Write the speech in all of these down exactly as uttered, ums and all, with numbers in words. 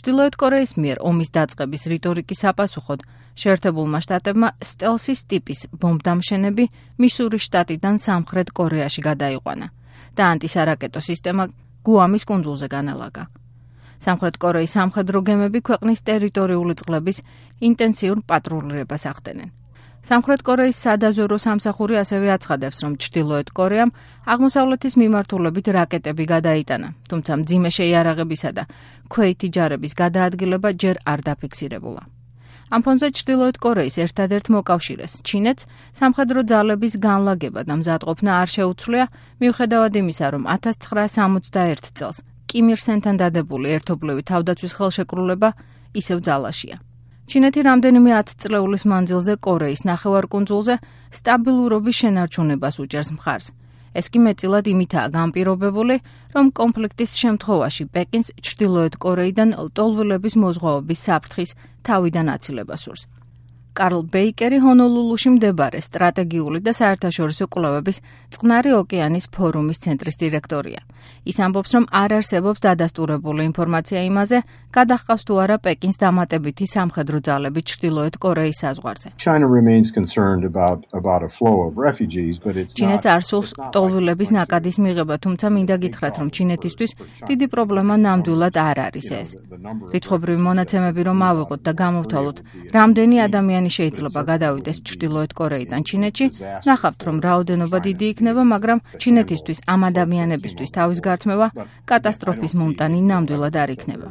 ჩრდილოეთ კორეის მიერ ომის დაწყების რიტორიკის საპასუხოდ შეერთებულმა შტატებმა სტელსის ტიპის ბომბდამშენები მისურის შტატიდან სამხრეთ კორეაში გადაიყვანა და ანტისარაკეტო სისტემა გუამის კუნძულზე განელაგა. სამხრეთ კორეის სამხედრო გემები ქვეყნის ტერიტორიული წყლების ინტენსიურ პატრულირებას ახდენენ. სამხრეთ კორეის სადაზვერო სამსახური ასევე აცხადებს, რომ ჩრდილოეთ კორეამ აღმოსავლეთის მიმართულებით რაკეტები გადაიტანა, თუმცა მძიმე შეიარაღებისა და ქვეითი ჯარების გადაადგილება ჯერ არ დაფიქსირებულა. ამ ფონზე ჩრდილოეთ კორეის ერთადერთ მოკავშირეს, ჩინეთს, სამხედრო ძალების განლაგება და მზადყოფნა არ შეუცვლია, მიუხედავად იმისა, რომ ათას ცხრაასი სამოცდაერთ წელს კიმ ირ სენთან დადებული ერთობლივი თავდაცვის ხელშეკრულება ისევ ძალაშია. ჩინეთი რამდენიმე ათწლეულის მანძილზე კორეის ნახევარკუნძულზე სტაბილურობის შენარჩუნებას უჭერს მხარს. ეს კი მეტწილად იმითაა განპირობებული, რომ კონფლიქტის შემთხვევაში პეკინს ჩრდილოეთ კორეიდან ლტოლვილების მოზღვაობის საფრთხის თავიდან აცილება სურს. კარლ ბეიკერი ჰონოლულუში მდებარე სტრატეგიული და საერთაშორისო კვლევების წყნარი ოკეანის ფორუმის ცენტრის დირექტორია. ის ამბობს, რომ არ არსებობს დადასტურებული ინფორმაცია იმაზე, გადაჰყავს თუ არა პეკინს დამატებითი სამხედრო ძალები ჩრდილოეთ კორეის საზღვარზე. ჩინეთს არ სურს ლტოლვილების ნაკადის მიღება, თუმცა მინდა გითხრათ, რომ ჩინეთისთვის დიდი პრობლემა ნამდვილად არ არის ეს. რიცხობრივი მონაცემები რომ ავიღოთ და გამოვთვალოთ, რამდენი ადამიანი შეიძლება გადავიდეს ჩრდილოეთ კორეიდან ჩინეთში, ნახავთ, რომ რაოდენობა დიდი იქნება, მაგრამ ჩინეთისთვის ამ ადამიანებისთვის თავის გართმევა კატასტროფის მომტანი ნამდვილად არ იქნება.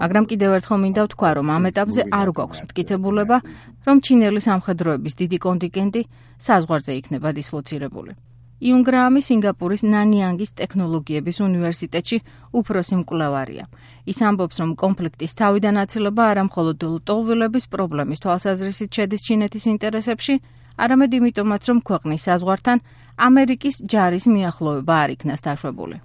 მაგრამ კიდევ ერთხელ მინდა ვთქვა, რომ ამ ეტაპზე არ გვაქვს მტკიცებულება, რომ ჩინელი სამხედროების დიდი კონტინგენტი საზღვარზე იქნება დისლოცირებული. იუნ გრაამი სინგაპურის ნანიანგის ტექნოლოგიების უნივერსიტეტში უფროსი მკვლევარია. ის ამბობს, რომ კონფლიქტის თავიდან აცილება არა მხოლოდ ლტოლვილების პრობლემის თვალსაზრისით შედის ჩინეთის ინტერესებში, არამედ იმიტომაც, რომ ქვეყნის საზღვართან ამერიკის ჯარის მიახლოვება არ იქნას დაშვებული.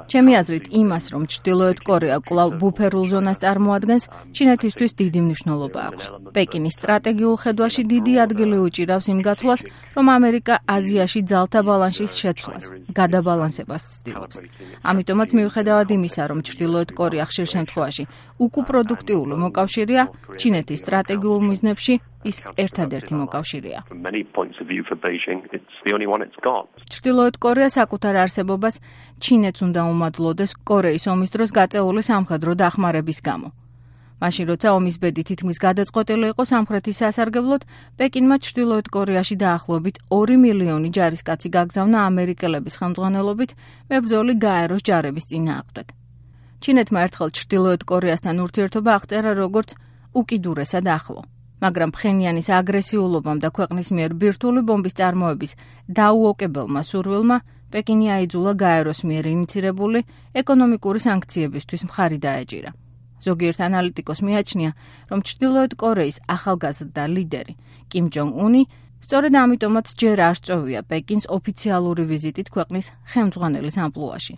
ჩემი აზრით, იმას, რომ ჩრდილოეთ კორეა კვლავ ბუფერულ ზონას წარმოადგენს, ჩინეთისთვის დიდი მნიშვნელობა აქვს. პეკინის სტრატეგიულ ხედვაში დიდი ადგილი უჭირავს იმ გათვლას, რომ ამერიკა აზიაში ძალთა ბალანსის შეცვლას, გადაბალანსებას ცდილობს. ამიტომაც მიუხედავად იმისა, რომ ჩრდილოეთ კორეა ხშირ შემთხვევაში უკუპროდუქტიული მოკავშირეა, ჩინეთის სტრატეგიულ მიზნებში ის ერთადერთი მოკავშირეა. ჩრდილოეთ კორეა საკუთარ არსებობას ჩინეთს უნდა უმადლოდეს კორეის ომის დროს გაწეული სამხედრო დახმარების გამო. მაშინ, როცა ომის ბედი თითქმის გადაწყვეტილი იყო სამხრეთის სასარგებლოდ, პეკინმა ჩრდილოეთ კორეაში დაახლოებით ორი მილიონი ჯარისკაცი გაგზავნა ამერიკელების ხელმძღვანელობით მებრძოლი გაეროს ჯარების წინააღმდეგ. ჩინეთმა ერთხელ ჩრდილოეთ კორეასთან ურთიერთობა აღწერა როგორც უკიდურესად ახლო. მაგრამ ფხენიანის აგრესიულობამ და ქვეყნის მიერ ბირთვული ბომბის წარმოების დაუოკებელმა სურვილმა პეკინი აიძულა გაეროს მიერ ინიცირებული ეკონომიკური სანქციებისთვის მხარი დაეჭირა. ზოგიერთ ანალიტიკოს მიაჩნია, რომ ჩრდილოეთ კორეის ახალგაზრდა ლიდერი კიმ ჯონგ უნი სწორედ ამიტომაც ჯერ არ სწოვია პეკინს ოფიციალური ვიზიტით ქვეყნის ხელმძღვანელის ამპლუაში.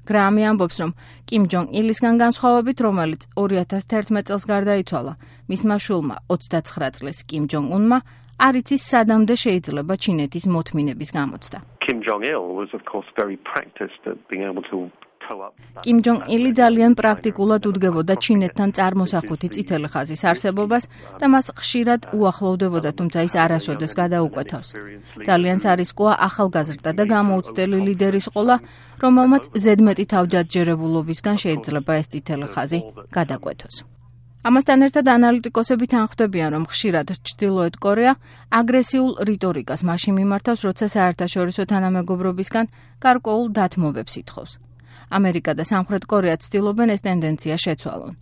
გრაამი ამბობს, რომ კიმ ჯონგ ილისგან განსხვავებით, რომელიც ორი ათას თერთმეტ წელს გარდაიცვალა, მისმა შვილმა ოცდაცხრა წლის კიმ ჯონგ უნმა არ იცის სადამდე შეიძლება ჩინეთის მოთმინების გამოცდა. კიმ ჯონგ ილი ძალიან პრაქტიკულად უდგებოდა ჩინეთთან წარმოსახვითი წითელი ხაზის არსებობას და მას ხშირად უახლოვდებოდა, თუმცა ის არასოდეს გადაუკვეთავს. ძალიან სარისკოა ახალგაზრდა და გამოუცდელი ლიდერის ყოლა, რომელმაც ზედმეტი თავჯადჯერებულობისგან შეიძლება ეს წითელი ხაზი გადაკვეთოს. ამასთან ერთად ანალიტიკოსები თანხმდებიან, რომ ხშირად ჩრდილოეთ კორეა აგრესიულ რიტორიკას მაშინ მიმართავს, როცა საერთაშორისო თანამეგობრობისგან გარკვეულ დათმობებს ითხოვს. ამერიკა და სამხრეთ კორეა ცდილობენ ეს ტენდენცია შეცვალონ.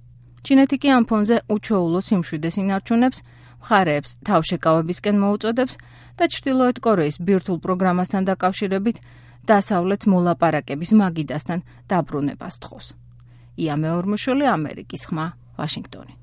ჩინეთი კი ამ ფონზე უჩვეულო სიმშვიდეს ინარჩუნებს, მხარეებს თავშეკავებისკენ მოუწოდებს და ჩრდილოეთ კორეის ბირთვულ პროგრამასთან დაკავშირებით დასავლეთს მოლაპარაკების მაგიდასთან დაბრუნებას თხოვს. ია მეორმუშვილი, ამერიკის ხმა, ვაშინგტონი.